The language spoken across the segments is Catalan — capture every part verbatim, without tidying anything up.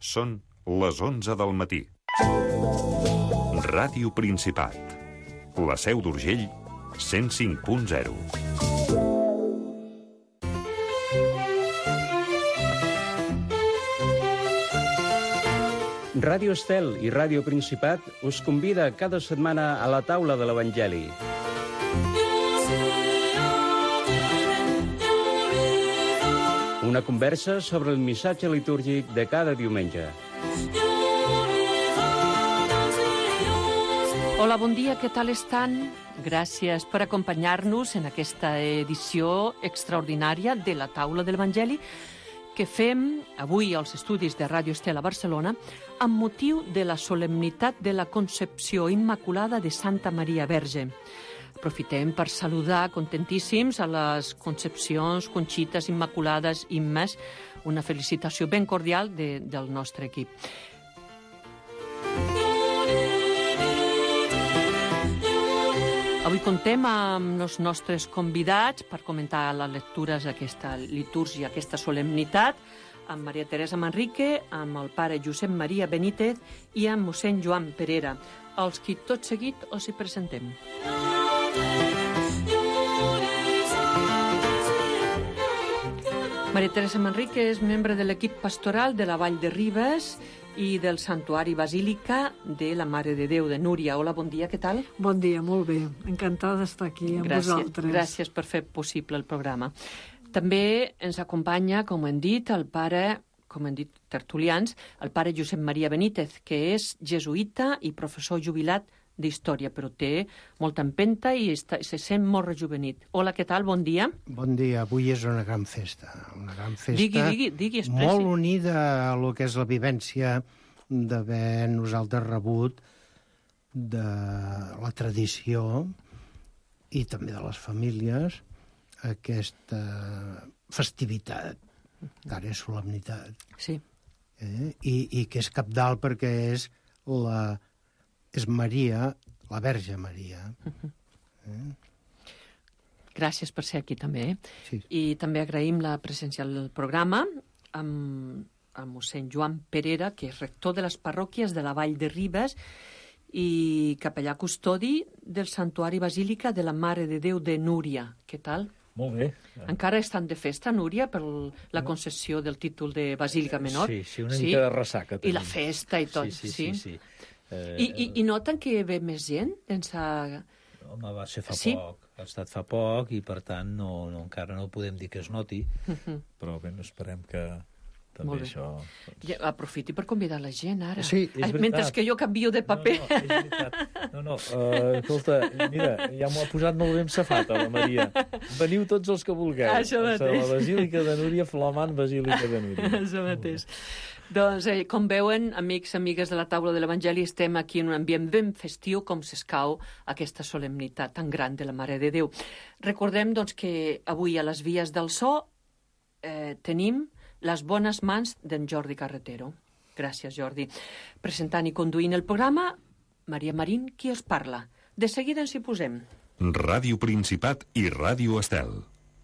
Són les onze del matí. Ràdio Principat. La Seu d'Urgell, cent cinc punt zero. Ràdio Estel i Ràdio Principat us convida cada setmana a la taula de l'Evangeli. Una conversa sobre el missatge litúrgic de cada diumenge. Hola, bon dia, què tal estan? Gràcies per acompanyar-nos en aquesta edició extraordinària de la taula de l'Evangeli que fem avui als estudis de Ràdio Estel a Barcelona amb motiu de la solemnitat de la Concepció Immaculada de Santa Maria Verge. Aprofitem per saludar contentíssims a les Concepcions, Conxites, Immaculades, Immes, una felicitació ben cordial de, del nostre equip. Avui contem amb els nostres convidats per comentar les lectures d'aquesta litúrgia, aquesta solemnitat, amb Maria Teresa Manrique, amb el pare Josep Maria Benítez i amb mossèn Joan Perera, els qui tot seguit us hi presentem. Maria Teresa Manrique és membre de l'equip pastoral de la Vall de Ribes i del Santuari Basílica de la Mare de Déu de Núria. Hola, bon dia, què tal? Bon dia, molt bé. Encantada d'estar aquí amb gràcies, vosaltres. Gràcies per fer possible el programa. També ens acompanya, com hem dit, el pare, com hem dit tertulians, el pare Josep Maria Benítez, que és jesuïta i professor jubilat d'història, però té molta empenta i està, se sent molt rejuvenit. Hola, què tal? Bon dia. Bon dia. Avui és una gran festa. Una gran festa digui, digui, digui, expressi. Molt unida a lo que és la vivència d'haver nosaltres rebut de la tradició i també de les famílies aquesta festivitat, que ara és solemnitat. Sí. Eh? I, I que és cabdal perquè és la... és Maria, la Verge Maria. Uh-huh. Eh? Gràcies per ser aquí també. Sí. I també agraïm la presència del programa amb, amb mossèn Joan Perera, que és rector de les parròquies de la Vall de Ribes i capellà custodi del Santuari Basílica de la Mare de Déu de Núria. Què tal? Molt bé. Encara estan de festa, Núria, per la concessió del títol de Basílica Menor? Sí, sí, una sí? mica de ressaca. I la festa i tot, sí. Sí, sí, sí. sí. Eh, I, i, I noten que ve més gent? Sense... Home, va ser fa sí? poc. Ha estat fa poc i, per tant, no, no, encara no podem dir que es noti, uh-huh. però bé, esperem que també això... Doncs... Ja, aprofiti per convidar la gent, ara. Sí, és veritat. Mentre que jo canvio de paper. No, no, és veritat. No, no, uh, escolta, mira, ja m'ho ha posat molt ben safata, la Maria. Veniu tots els que vulgueu. Això mateix. La Basílica de Núria, flamant Basílica de Núria. Això mateix. Doncs, eh, com veuen, amics, amigues de la taula de l'Evangeli, estem aquí en un ambient ben festiu, com s'escau aquesta solemnitat tan gran de la Mare de Déu. Recordem, doncs, que avui a les vies del so eh, tenim les bones mans d'en Jordi Carretero. Gràcies, Jordi. Presentant i conduint el programa, Maria Marín, qui us parla. De seguida ens hi posem. Ràdio Principat i Ràdio Estel.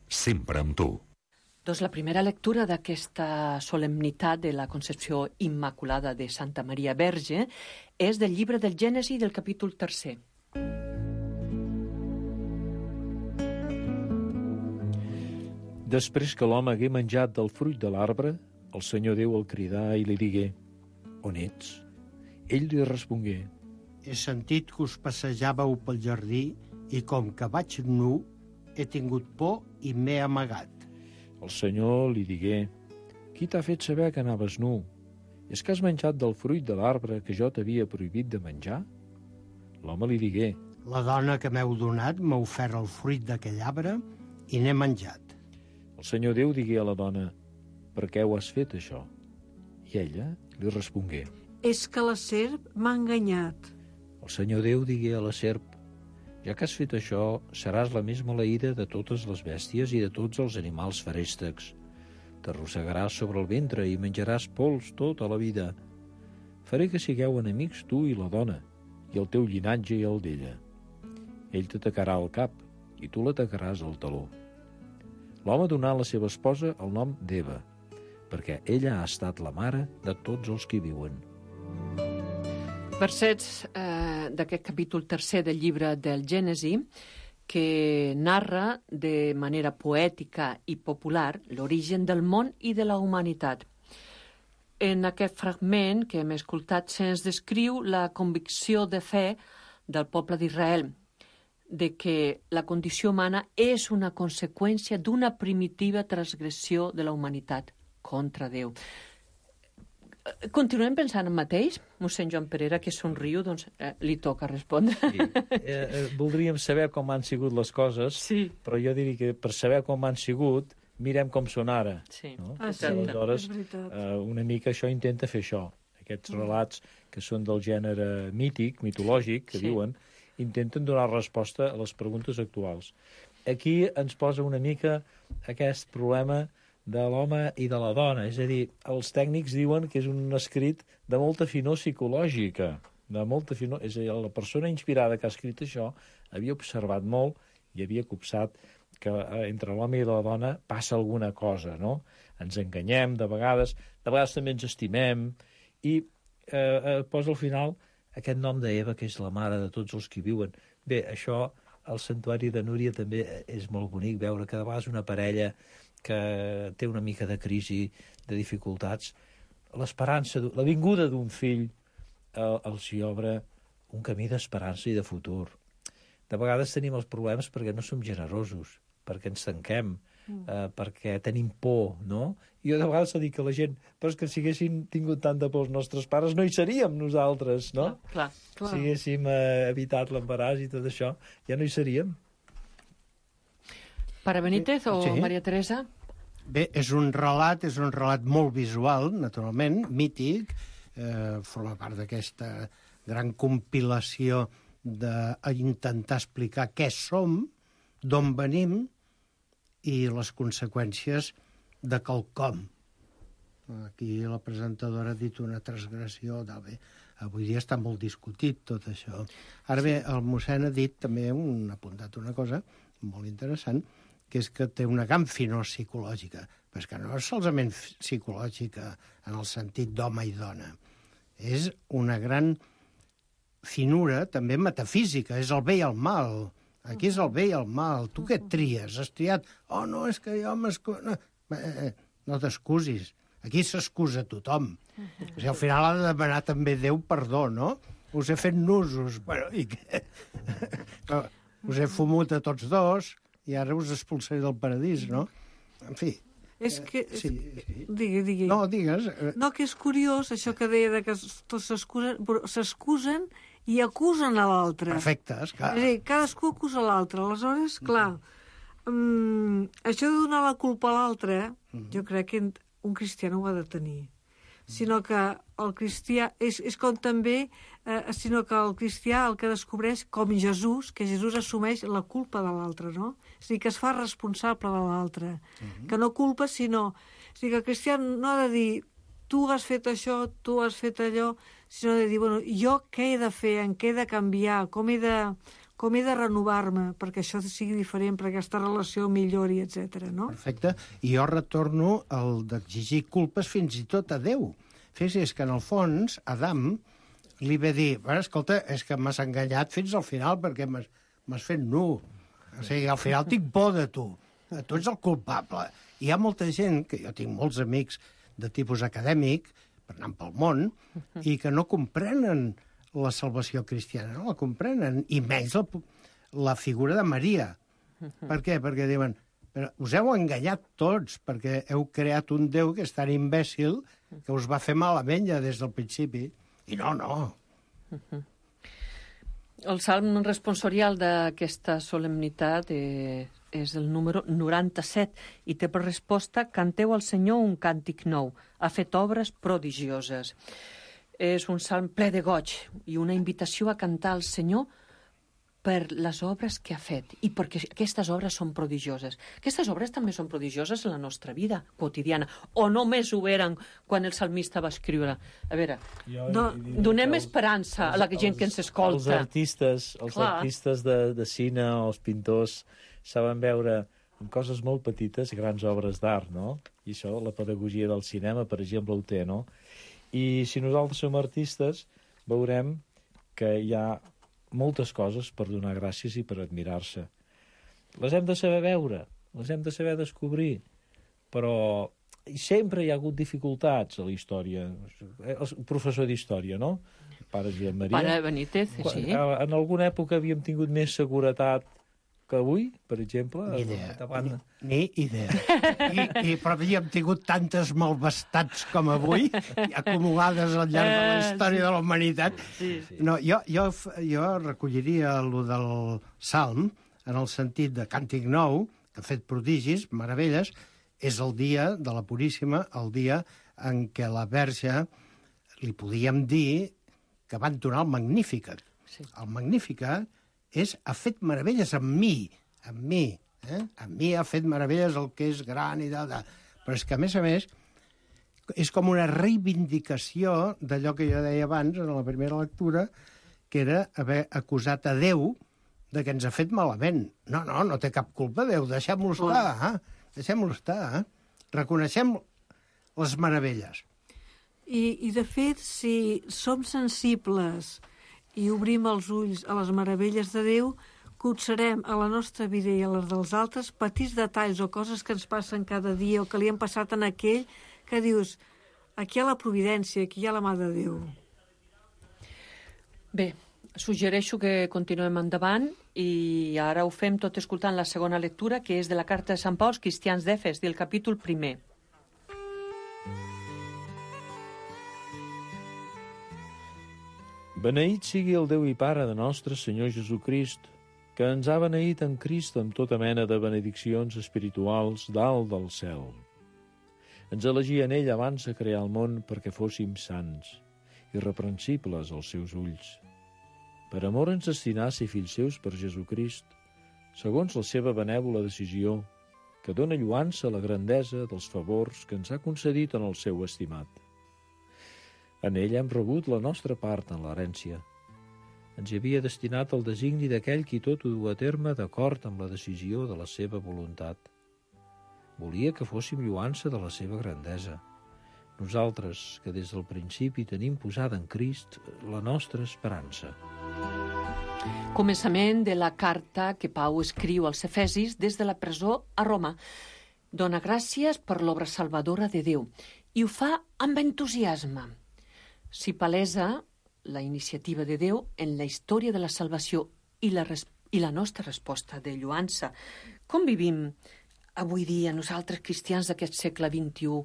Sempre amb tu. Doncs la primera lectura d'aquesta solemnitat de la Concepció Immaculada de Santa Maria Verge és del llibre del Gènesi del capítol tercer. Després que l'home hagué menjat del fruit de l'arbre, el Senyor Déu el cridà i li digué: On ets? Ell li respongué: He sentit que us passejàveu pel jardí i com que vaig nu, he tingut por i m'he amagat. El Senyor li digué: Qui t'ha fet saber que anaves nu? És que has menjat del fruit de l'arbre que jo t'havia prohibit de menjar? L'home li digué: La dona que m'heu donat m'ha ofert el fruit d'aquell arbre i n'he menjat. El Senyor Déu digué a la dona: Per què ho has fet, això? I ella li respongué: És que la serp m'ha enganyat. El Senyor Déu digué a la serp: Ja que has fet això, seràs la més maleïda de totes les bèsties i de tots els animals feréstecs. T'arrossegaràs sobre el ventre i menjaràs pols tota la vida. Faré que sigueu enemics tu i la dona, i el teu llinatge i el d'ella. Ell t'atacarà al cap, i tu l'atacaràs al taló. L'home donà a la seva esposa el nom d'Eva, perquè ella ha estat la mare de tots els que hi viuen. Versets eh, d'aquest capítol tercer del llibre del Gènesi, que narra de manera poètica i popular l'origen del món i de la humanitat. En aquest fragment que hem escoltat se'ns descriu la convicció de fe del poble d'Israel, de que la condició humana és una conseqüència d'una primitiva transgressió de la humanitat contra Déu. Continuem pensant en mateix? Mossèn Joan Perera, que somriu, doncs eh, li toca respondre. Sí. Eh, eh, voldríem saber com han sigut les coses, sí. Però jo diria que per saber com han sigut, mirem com són ara. Sí. No? Ah, sí, aleshores, és veritat. eh, una mica això intenta fer això. Aquests relats que són del gènere mític, mitològic, que sí. diuen, intenten donar resposta a les preguntes actuals. Aquí ens posa una mica aquest problema de l'home i de la dona. És a dir, els tècnics diuen que és un escrit de molta finor psicològica, de molta finor... És a dir, la persona inspirada que ha escrit això havia observat molt i havia copsat que entre l'home i la dona passa alguna cosa, no? Ens enganyem de vegades, de vegades també ens estimem, i eh, eh, posa al final aquest nom d'Eva, que és la mare de tots els que viuen. Bé, això, al Santuari de Núria també és molt bonic veure que de vegades una parella que té una mica de crisi, de dificultats, l'esperança, la vinguda d'un fill eh, els hi obre un camí d'esperança i de futur. De vegades tenim els problemes perquè no som generosos, perquè ens tanquem, eh, perquè tenim por, no? Jo de vegades dic a la gent, però és que si haguéssim tingut tanta por els nostres pares no hi seríem nosaltres, no? Clar, clar. Si haguéssim eh, evitat l'embaràs i tot això, ja no hi seríem. Pare Benítez o Sí. Maria Teresa? Bé, és un relat, és un relat molt visual, naturalment, mític, eh, forma part d'aquesta gran compilació d'intentar explicar què som, d'on venim i les conseqüències de quelcom. Aquí la presentadora ha dit una transgressió de bé. Avui dia està molt discutit tot això. Ara bé, el mossèn ha dit també, un, ha apuntat una cosa molt interessant, que és que té una gran finor psicològica, però és que no és solament psicològica en el sentit d'home i dona. És una gran finura també metafísica, és el bé i el mal. Aquí és el bé i el mal. Tu què tries? Has triat? Oh, no, és que jo m'excuso... No, eh, no t'excusis. Aquí s'excusa tothom. O sigui, al final ha de demanar també Déu perdó, no? Us he fet nusos. Bueno, i què? Us he fumut a tots dos i ara us expulsaré del paradís, no? En fi. És que... Sí, sí. Digui, digui. No, digues. No, que és curiós, això que deia de que tots s'excusen, però s'excusen i acusen a l'altre. Perfecte, esclar. És a dir, cadascú acusa l'altre. Aleshores, clar, um, això de donar la culpa a l'altre, jo crec que un cristià no ho ha de tenir. Sinó que el cristià... És, és com també... Eh, sinó que el cristià el que descobreix, com Jesús, que Jesús assumeix la culpa de l'altre, no? És a dir, que es fa responsable de l'altre. Uh-huh. Que no culpa, sinó... És a dir, que el cristià no ha de dir tu has fet això, tu has fet allò, sinó de dir, bueno, jo què he de fer, en què he de canviar, com he de, com he de renovar-me perquè això sigui diferent, perquè aquesta relació millori, etcètera, no? Perfecte. I jo retorno al d'exigir culpes fins i tot a Déu. Fixi's que, en el fons, Adam li ve dir, bueno, escolta, és que m'has enganyat fins al final perquè m'has fet nu. O sigui, al final tinc por de tu. Tu ets el culpable. I hi ha molta gent, que jo tinc molts amics de tipus acadèmic, per anar pel món, i que no comprenen la salvació cristiana, no la comprenen, i menys la, la figura de Maria. Per què? Perquè diuen, però us heu enganyat tots, perquè heu creat un Déu que és tan imbècil que us va fer malament ja des del principi. I no, no. El salm responsorial d'aquesta solemnitat eh, és el número noranta-set i té per resposta canteu al Senyor un càntic nou, ha fet obres prodigioses. És un salm ple de goig i una invitació a cantar al Senyor per les obres que ha fet i perquè aquestes obres són prodigioses. Aquestes obres també són prodigioses en la nostra vida quotidiana, o només ho eren quan el salmista va escriure. A veure, no, donem els, esperança els, a la gent els, que ens escolta. Els artistes, els Clar. artistes de, de cine o els pintors saben veure amb coses molt petites, grans obres d'art, no? I això, la pedagogia del cinema, per exemple, ho té, no? I si nosaltres som artistes, veurem que hi ha moltes coses per donar gràcies i per admirar-se. Les hem de saber veure, les hem de saber descobrir, però sempre hi ha hagut dificultats a la història. El professor d'història, no? Pare Josep Maria. Pare Benítez, sí. En alguna època havíem tingut més seguretat que avui, per exemple. Ni idea. Davant... Ni, ni idea. I, i, però havíem tingut tantes malvestats com avui, acumulades al llarg de la història de la humanitat. Sí, sí. No, jo, jo, jo recolliria lo del Salm, en el sentit de càntic nou, que ha fet prodigis, meravelles, és el dia de la Puríssima, el dia en què la Verge li podíem dir que va entonar el Magnificat. Sí. El Magnificat és, ha fet meravelles amb mi, amb mi, eh? Amb mi ha fet meravelles el que és gran i tal, tal. Però és que, a més a més, és com una reivindicació d'allò que jo deia abans, en la primera lectura, que era haver acusat a Déu de que ens ha fet malament. No, no, no té cap culpa, Déu, deixem-lo estar, eh? Deixem-lo estar, eh? Reconeixem les meravelles. I, I, de fet, si som sensibles i obrim els ulls a les meravelles de Déu, cotxarem a la nostra vida i a les dels altres petits detalls o coses que ens passen cada dia o que li han passat en aquell que dius, aquí hi ha la providència, aquí hi ha la mà de Déu. Bé, suggereixo que continuem endavant i ara ho fem tot escoltant la segona lectura, que és de la carta de Sant Pau als cristians d'Efes, del capítol primer. Beneït sigui el Déu i Pare de nostre Senyor Jesucrist, que ens ha beneït en Crist amb tota mena de benediccions espirituals dalt del cel. Ens elegia en ell abans de crear el món perquè fóssim sants, irreprensibles als seus ulls. Per amor ens destinà a ser fills seus per Jesucrist, segons la seva benèvola decisió, que dóna lluança a la grandesa dels favors que ens ha concedit en el seu estimat. En ell hem rebut la nostra part en l'herència. Ens hi havia destinat el designi d'aquell qui tot ho du a terme d'acord amb la decisió de la seva voluntat. Volia que fóssim lluança de la seva grandesa. Nosaltres, que des del principi tenim posada en Crist la nostra esperança. Començament de la carta que Pau escriu als Efesis des de la presó a Roma. Dona gràcies per l'obra salvadora de Déu i ho fa amb entusiasme. S'hi palesa la iniciativa de Déu en la història de la salvació i la, res i la nostra resposta de lluança. Com vivim avui dia nosaltres cristians d'aquest segle vint-i-u,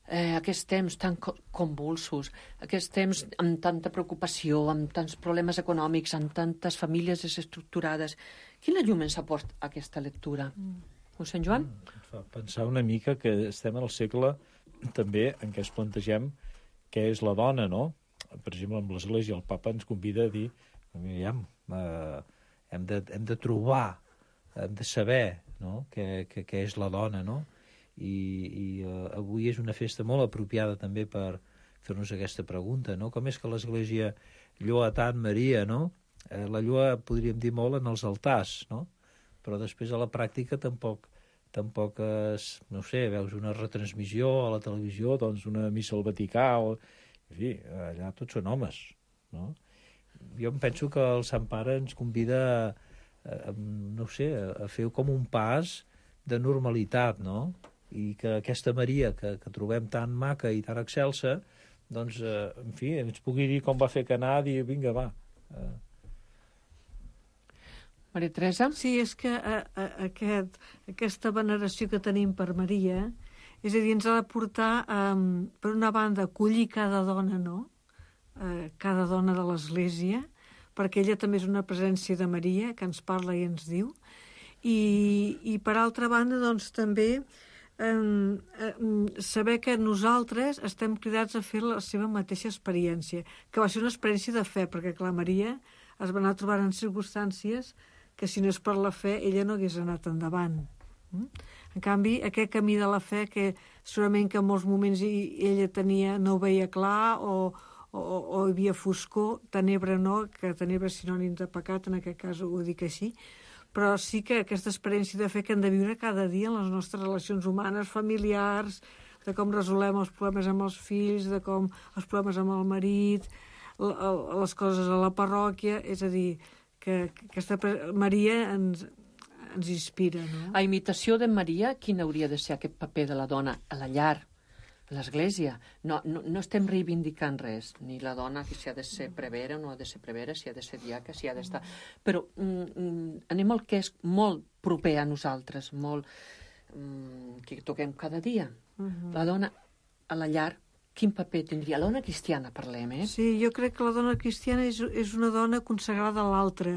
eh, aquests temps tan co convulsos, aquests temps amb tanta preocupació, amb tants problemes econòmics, amb tantes famílies desestructurades? Quina llum ens aporta aquesta lectura? Mm. Mossèn Joan? Mm, fa pensar una mica que estem en el segle també en què es plantegem què és la dona, no? Per exemple, amb l'Església el papa ens convida a dir aviam, eh, hem, de, hem de trobar, hem de saber, no? què, què, què és la dona, no? I, i eh, avui és una festa molt apropiada també per fer-nos aquesta pregunta, no? Com és que l'Església lloa tant Maria, no? Eh, la lloa podríem dir molt en els altars, no? Però després a la pràctica tampoc tampoc, es, no sé, veus una retransmissió a la televisió, doncs una missa al Vaticà, o... en fi, allà tots són homes, no? Jo em penso que el Sant Pare ens convida a, a, no sé, a fer com un pas de normalitat, no? I que aquesta Maria que, que trobem tan maca i tan excelsa, doncs, eh, en fi, ens pugui dir com va fer Canà, dir, vinga, va, eh, Maria Teresa? Sí, és que a, a, aquest, aquesta veneració que tenim per Maria, és a dir, ens ha de portar, um, per una banda, a acollir cada dona, no? Uh, cada dona de l'Església, perquè ella també és una presència de Maria, que ens parla i ens diu, i, i per altra banda, doncs, també um, um, saber que nosaltres estem cridats a fer la seva mateixa experiència, que va ser una experiència de fe, perquè, clar, Maria es va anar trobant en circumstàncies que si no és per la fe, ella no hagués anat endavant. En canvi, aquest camí de la fe, que segurament que en molts moments ella tenia, no ho veia clar, o, o, o hi havia foscor, tenebra no, que tenebra és sinònim de pecat, en aquest cas ho dic així, però sí que aquesta experiència de fer que hem de viure cada dia en les nostres relacions humanes, familiars, de com resolem els problemes amb els fills, de com els problemes amb el marit, les coses a la parròquia, és a dir, que aquesta Maria ens, ens inspira, no? A imitació de Maria, quin hauria de ser aquest paper de la dona a la llar, a l'església? No, no, no estem reivindicant res, ni la dona que si ha de ser prevera o no ha de ser prevera, si ha de ser diaca, si ha d'estar... Però mm, anem al que és molt proper a nosaltres, molt mm, que toquem cada dia. Uh-huh. La dona a la llar, quin paper tindria? La dona cristiana, parlem, eh? Sí, jo crec que la dona cristiana és, és una dona consagrada a l'altra,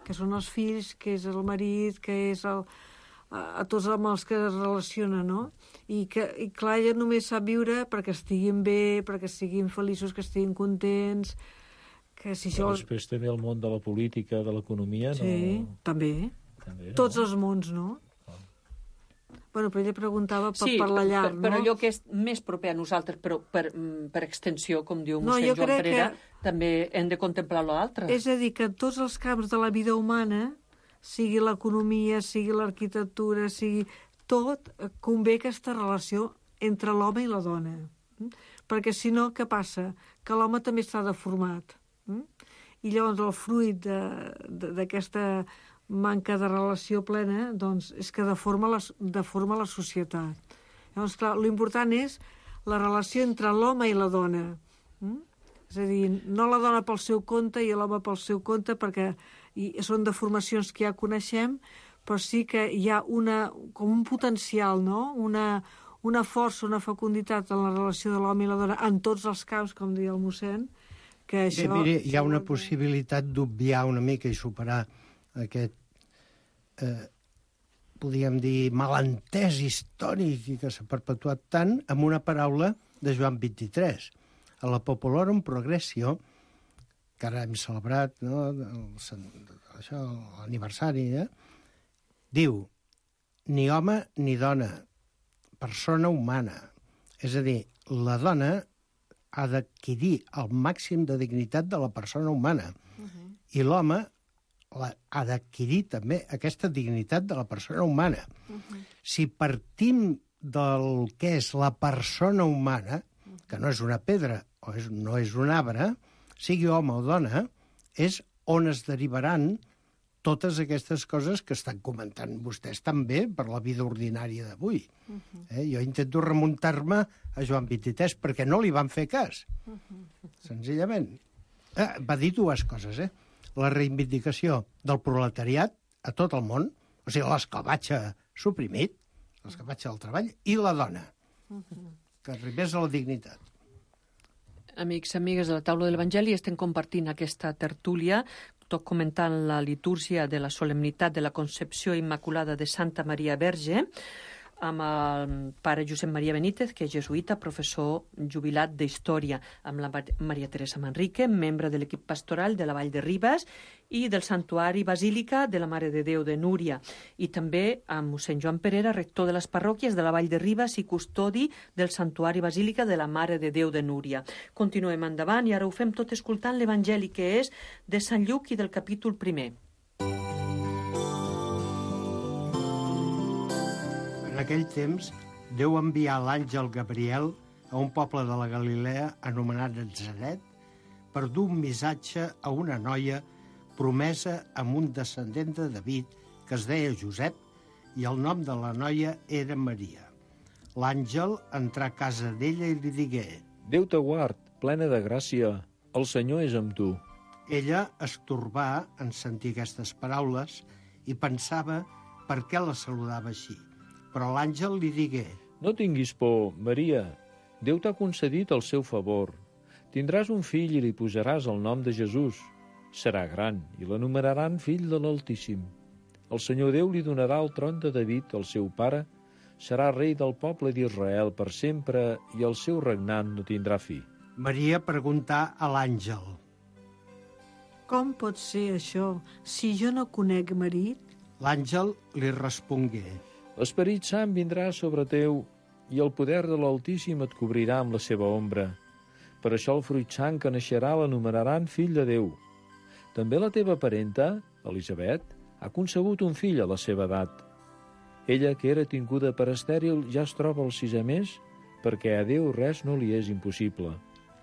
que són els fills, que és el marit, que és el... a tots amb els que es relaciona, no? I, que, i clar, ella només sap viure perquè estiguin bé, perquè estiguin feliços, que estiguin contents, que si Però això... després també el món de la política, de l'economia, no... Sí, també. també Tots no? els mons, no? Ah. Bueno, però ella preguntava per, sí, per la llar, per, no? per allò que és més proper a nosaltres, però per, per extensió, com diu No, mossèn jo Joan crec Perera, que- també hem de contemplar l'altre. És a dir, que en tots els camps de la vida humana, sigui l'economia, sigui l'arquitectura, sigui tot, eh, convé aquesta relació entre l'home i la dona. Mm? Perquè si no, què passa? Que l'home també està deformat. Mm? I llavors el fruit d'aquesta manca de relació plena doncs, és que deforma la, deforma la societat. Llavors, clar, l'important és la relació entre l'home i la dona. Mm? És a dir, no la dona pel seu compte i l'home pel seu compte, perquè i són deformacions que ja coneixem, però sí que hi ha una, com un potencial, no? Una, una força, una fecunditat en la relació de l'home i la dona en tots els camps, com deia el mossèn, que això... Bé, mire, hi ha una possibilitat d'obviar una mica i superar aquest, eh, podríem dir, malentès històric i que s'ha perpetuat tant amb una paraula de Joan vint-i-tres. A la Populorum Progressio, que ara hem celebrat, no, això, l'aniversari, eh? Diu, ni home ni dona, persona humana. És a dir, la dona ha d'adquirir el màxim de dignitat de la persona humana. Uh-huh. I l'home ha d'adquirir també aquesta dignitat de la persona humana. Uh-huh. Si partim del que és la persona humana, que no és una pedra o és, no és un arbre, sigui home o dona, és on es derivaran totes aquestes coses que estan comentant vostès també per la vida ordinària d'avui. Uh-huh. eh? Jo intento remuntar-me a Joan vint-i-tres perquè no li van fer cas. Uh-huh. Senzillament. Eh, va dir dues coses, eh? La reivindicació del proletariat a tot el món, o sigui, l'esclavatge suprimit, l'esclavatge del treball, i la dona, uh-huh. que arribés a la dignitat. Amics, amigues de la taula de l'Evangeli, estem compartint aquesta tertúlia, tot comentant la litúrgia de la solemnitat de la Concepció Immaculada de Santa Maria Verge, amb el pare Josep Maria Benítez, que és jesuïta, professor jubilat d'Història, amb la Maria Teresa Manrique, membre de l'equip pastoral de la Vall de Ribes i del Santuari Basílica de la Mare de Déu de Núria, i també amb mossèn Joan Perera, rector de les parròquies de la Vall de Ribes i custodi del Santuari Basílica de la Mare de Déu de Núria. Continuem endavant i ara ho fem tot escoltant l'Evangeli, que és de Sant Lluc i del capítol primer. En aquell temps, Déu envià l'àngel Gabriel a un poble de la Galilea anomenat Natzaret per dur un missatge a una noia promesa amb un descendent de David que es deia Josep i el nom de la noia era Maria. L'àngel entrà a casa d'ella i li digué: Déu te guard, plena de gràcia, el Senyor és amb tu. Ella es torbà en sentir aquestes paraules i pensava per què la saludava així. Però l'àngel li digué: No tinguis por, Maria. Déu t'ha concedit el seu favor. Tindràs un fill i li posaràs el nom de Jesús. Serà gran i l'anomenaran fill de l'Altíssim. El Senyor Déu li donarà el tron de David, el seu pare. Serà rei del poble d'Israel per sempre i el seu regnat no tindrà fi. Maria preguntà a l'àngel: Com pot ser això si jo no conec marit? L'àngel li respongué: L'Esperit Sant vindrà sobre teu i el poder de l'Altíssim et cobrirà amb la seva ombra. Per això el fruit sant que naixerà l'anomenaran fill de Déu. També la teva parenta, Elisabet, Ha concebut un fill a la seva edat. Ella, que era tinguda per estèril, ja es troba al sisè mes, perquè a Déu res no li és impossible.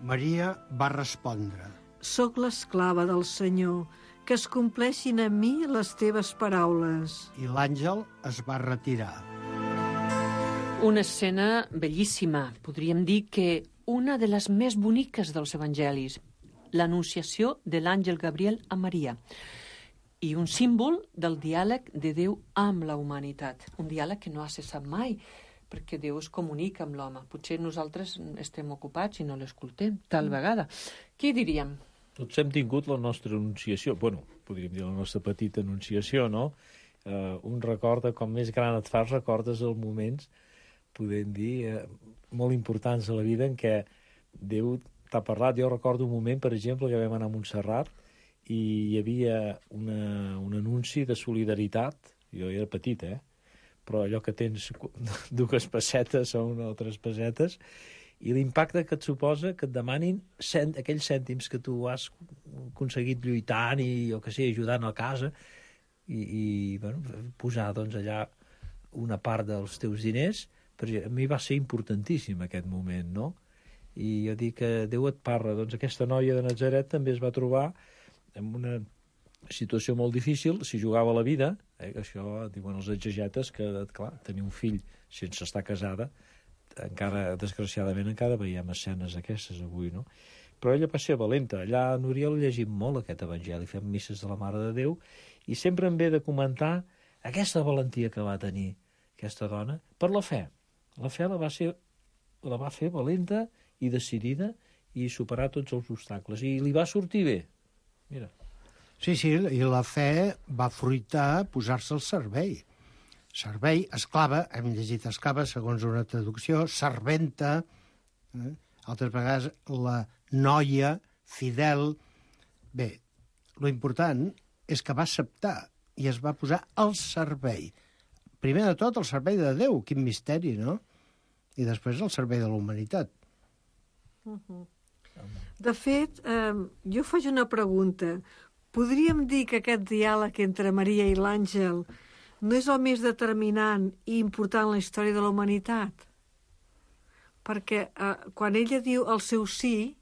Maria va respondre: Soc l'esclava del Senyor, que es compleixin a mi les teves paraules. I l'àngel es va retirar. Una escena bellíssima, podríem dir que una de les més boniques dels evangelis, l'anunciació de l'àngel Gabriel a Maria, i un símbol del diàleg de Déu amb la humanitat, un diàleg que no ha cessat mai, perquè Déu es comunica amb l'home. Potser nosaltres estem ocupats i no l'escoltem, tal vegada. Què diríem? Tots hem tingut la nostra anunciació, bueno, podríem dir la nostra petita anunciació, no? Uh, un recorda, com més gran et fas, recordes els moments, podem dir, uh, molt importants a la vida en què Déu t'ha parlat. Jo recordo un moment, per exemple, que vam anar a Montserrat i hi havia una, un anunci de solidaritat. Jo era petit, eh? Però allò que tens dues pessetes o una o tres pessetes, i l'impacte que et suposa que et demanin cent, aquells cèntims que tu has aconseguit lluitant i, jo què sé, ajudant a casa, i, i bueno, posar doncs, allà una part dels teus diners, perquè a mi va ser importantíssim aquest moment, no? I jo dic que Déu et parla. Doncs aquesta noia de Natzaret també es va trobar en una situació molt difícil, s'hi jugava la vida, eh? Això diuen els exegetes, que clar, tenir un fill sense estar casada, encara, desgraciadament, encara veiem escenes aquestes avui, no? Però ella va ser valenta. Allà a Núria llegim molt aquest evangeli, fem misses de la Mare de Déu, i sempre em ve de comentar aquesta valentia que va tenir aquesta dona per la fe. La fe la va, ser, la va fer valenta i decidida i superar tots els obstacles. I li va sortir bé. Mira. Sí, sí, i la fe va fruitar posar-se al servei. Servei, esclava, hem llegit esclava segons una traducció, serventa, eh? Altres vegades la noia, fidel. Bé, lo important és que va acceptar i es va posar al servei. Primer de tot, al servei de Déu, quin misteri, no? I després al servei de la humanitat. Uh-huh. De fet, eh, jo faig una pregunta. Podríem dir que aquest diàleg entre Maria i l'àngel no és el més determinant i important en la història de la humanitat? Perquè eh, quan ella diu el seu sí,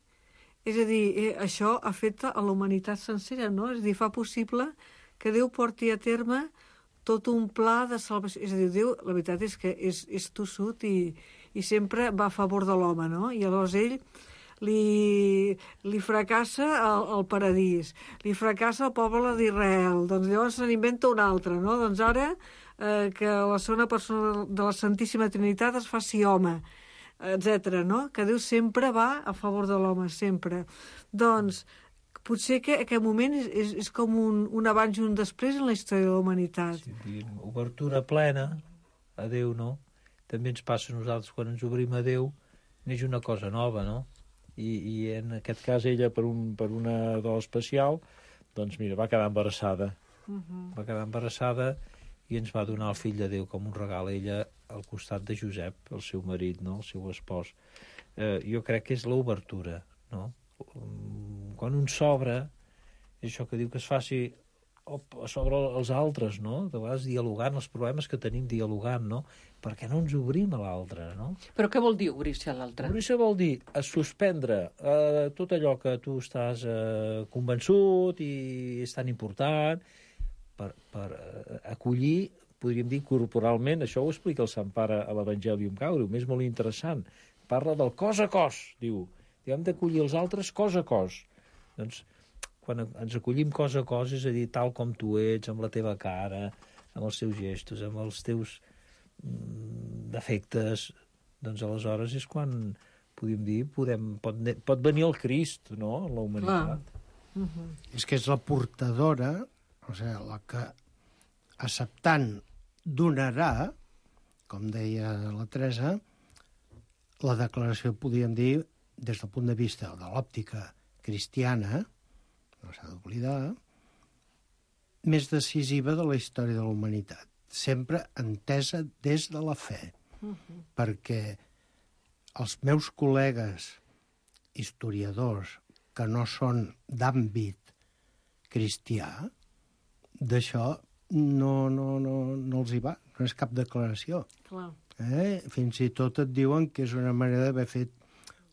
és a dir, eh, això afecta a la humanitat sencera, no? És a dir, fa possible que Déu porti a terme tot un pla de salvació. És a dir, Déu, la veritat és que és, és tossut i, i sempre va a favor de l'home, no? I llavors ell li, li fracassa el, el paradís, li fracassa el poble d'Israel, doncs llavors se n'inventa un altre, no? Doncs ara eh, que la segona persona de la Santíssima Trinitat es faci home, etcètera, no? Que Déu sempre va a favor de l'home, sempre. Doncs potser que aquest moment és, és, és com un, un abans i un després en la història de la humanitat. Sí, obertura plena a Déu, no? També ens passa a nosaltres, quan ens obrim a Déu, neix una cosa nova, no? I, i en aquest cas ella, per, un, per una do especial, doncs mira, va quedar embarassada. Uh-huh. Va quedar embarassada i ens va donar el fill de Déu com un regal a ella al costat de Josep, el seu marit, no? El seu espòs. Eh, jo crec que és l'obertura, no? Quan un s'obre, és això que diu que es faci sobre els altres, no? De vegades dialogant, els problemes que tenim dialogant, no? Perquè no ens obrim a l'altre, no? Però què vol dir obrir-se a l'altre? Obrir-se vol dir a suspendre eh, tot allò que tu estàs eh, convençut i és tan important per, per eh, acollir, podríem dir corporalment, això ho explica el Sant Pare a l'Evangelium Gaudium, és molt interessant. Parla del cos a cos, diu. Hem d'acollir els altres cos a cos. Doncs quan ens acollim cos a cos, és a dir, tal com tu ets, amb la teva cara, amb els teus gestos, amb els teus mm, defectes, doncs aleshores és quan, podem dir, podem, pot, pot venir el Crist, no?, en la humanitat. Uh-huh. És que és la portadora, o sigui, la que acceptant donarà, com deia la Teresa, la declaració, podríem dir, des del punt de vista de l'òptica cristiana, no s'ha d'oblidar, més decisiva de la història de la humanitat, sempre entesa des de la fe, uh-huh. perquè els meus col·legues historiadors que no són d'àmbit cristià, d'això no, no, no, no els hi va, no és cap declaració. Clar. Eh? Fins i tot et diuen que és una manera d'haver fet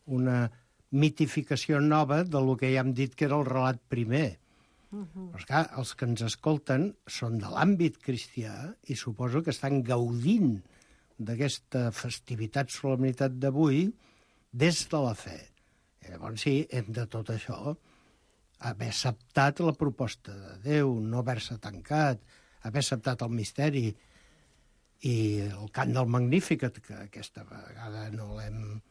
una mitificació nova de lo que ja hem dit que era el relat primer. Uh -huh. Però, esclar, els que ens escolten són de l'àmbit cristià i suposo que estan gaudint d'aquesta festivitat, solemnitat d'avui des de la fe. I llavors sí, hem de tot això haver acceptat la proposta de Déu, no haver-se tancat, haver acceptat el misteri i el cant del Magnificat, que aquesta vegada no l'hem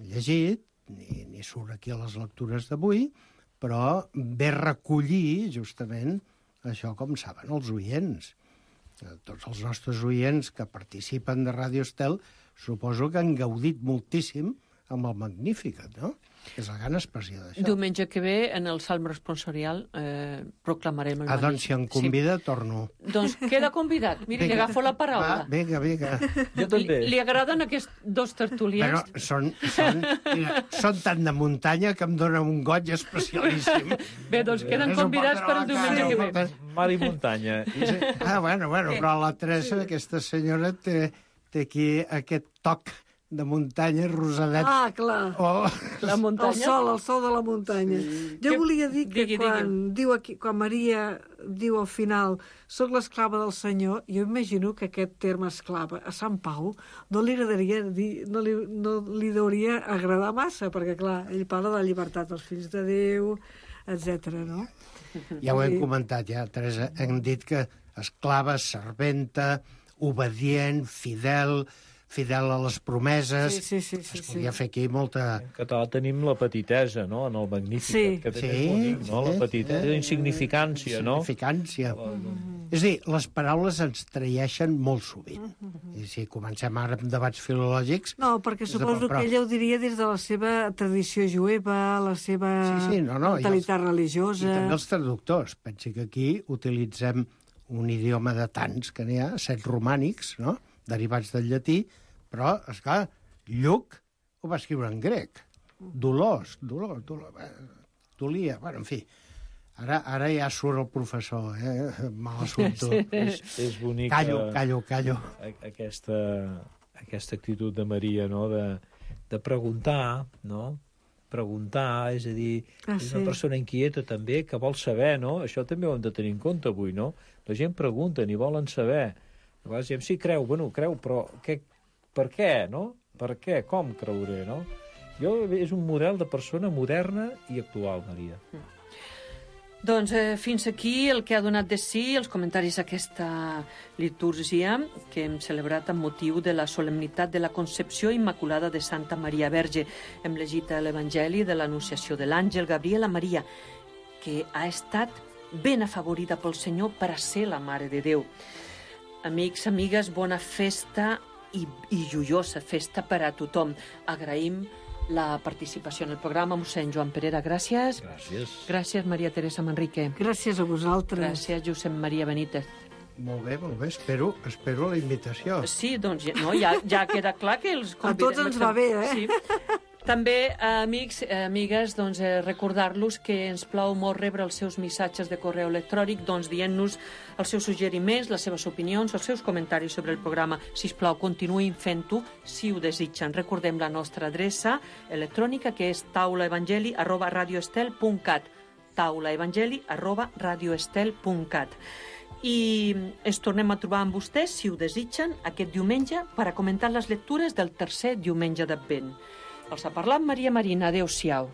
llegit, ni, ni surt aquí a les lectures d'avui, però ve recollir justament això com saben els oients. Tots els nostres oients que participen de Ràdio Estel suposo que han gaudit moltíssim amb el Magnificat, no? És la gran expressió d'això. Diumenge que ve, en el Salm responsorial, eh, proclamarem el Ah, doncs si em convida, sí. torno. Doncs queda convidat. Miri, li agafo la paraula. Va, vinga, vinga. Jo també. Li, li agraden aquests dos tertulians? Però són, són, mira, són tan de muntanya que em dona un goig especialíssim. Bé, doncs queden convidats per el diumenge que ve. Mar i muntanya. Ah, bueno, bueno, però la Teresa, aquesta senyora, té, té aquí aquest toc de muntanya rosadet. Ah, clar. Oh. La muntanya. El sol, el sol de la muntanya. Sí. Jo Que- volia dir que digui, quan, digui. diu aquí, quan Maria diu al final soc l'esclava del Senyor, jo imagino que aquest terme esclava a Sant Pau no li agradaria dir, no li, no li hauria agradar massa, perquè clar, ell parla de la llibertat dels fills de Déu, etcètera, no? Ja ho hem Sí. comentat, ja, Teresa. Hem dit que esclava, serventa, obedient, fidel, fidel a les promeses. Sí, sí, sí, sí, Es sí. podia fer aquí molta... En català tenim la petitesa, no?, en el Magníficat, Sí. que també Sí, és bonic, no?, sí, la petitesa, sí. insignificància, no? Significància. És a dir, les paraules ens traeixen molt sovint. I si comencem ara amb debats filològics... No, perquè és de suposo però- que ella ho diria des de la seva tradició jueva, la seva Sí, sí, no, no, i mentalitat els- religiosa. I també els traductors. Pensi que aquí utilitzem un idioma de tants que n'hi ha, set romànics, no?, derivats del llatí, però, esclar, Lluc ho va escriure en grec. Dolors, dolor, dolor, eh, dolia, bueno, en fi. Ara, ara ja surt el professor, eh? Mal assumpto. És, és bonic Callo, callo, callo. a- aquesta, aquesta actitud de Maria, no?, de, de preguntar, no?, preguntar, és a dir, Ah, és sí. una persona inquieta també, que vol saber, no? Això també ho hem de tenir en compte avui, no? La gent pregunta i volen saber. A vegades diem, sí, creu, bueno, creu, però què, per què, no? Per què? Com creuré, no? Jo, és un model de persona moderna i actual, Maria. Doncs eh, fins aquí el que ha donat de si els comentaris d'aquesta litúrgia que hem celebrat amb motiu de la solemnitat de la Concepció Immaculada de Santa Maria Verge. Hem llegit l'Evangeli de l'Anunciació de l'Àngel Gabriel a Maria, que ha estat ben afavorida pel Senyor per a ser la Mare de Déu. Amics, amigues, bona festa i, i joiosa festa per a tothom. Agraïm la participació en el programa. Mossèn Joan Perera, gràcies. Gràcies. Gràcies, Maria Teresa Manrique. Gràcies a vosaltres. Gràcies, Josep Maria Benítez. Molt bé, molt bé. Espero, espero la invitació. Sí, doncs ja- no, ja, ja queda clar que els A tots ens va bé, eh? Sí. També, eh, amics, eh, amigues, doncs, eh, recordar-los que ens plau molt rebre els seus missatges de correu electrònic, doncs dient-nos els seus suggeriments, les seves opinions, els seus comentaris sobre el programa. Si us plau, continuïn fent-ho si ho desitgen. Recordem la nostra adreça electrònica, que és taulaevangeli arroba radioestel punt cat. taulaevangeli arroba radioestel punt cat. I ens tornem a trobar amb vostès, si ho desitgen, aquest diumenge per a comentar les lectures del tercer diumenge d'Advent. Els ha parlat Maria Marina. Adéu-siau.